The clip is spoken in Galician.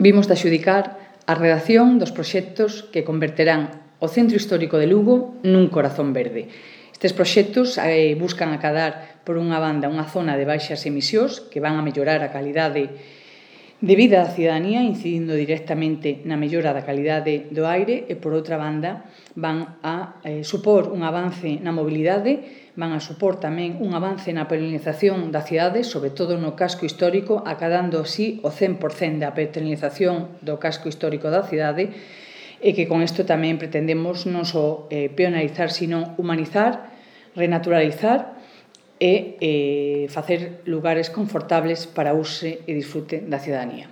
vimos de adxudicar a redacción dos proxectos que converterán o Centro Histórico de Lugo nun corazón verde. Estes proxectos buscan acadar, por unha banda, unha zona de baixas emisións que van a mellorar a calidade de vida da cidadanía, incidindo directamente na mellora da calidade do aire e, por outra banda, van a supor un avance na mobilidade, van a supor tamén un avance na perennización da cidade, sobre todo no casco histórico, acadando así o 100% da perennización do casco histórico da cidade, e que con isto tamén pretendemos non só peonalizar, sino humanizar, renaturalizar e facer lugares confortables para uso e disfrute da cidadanía.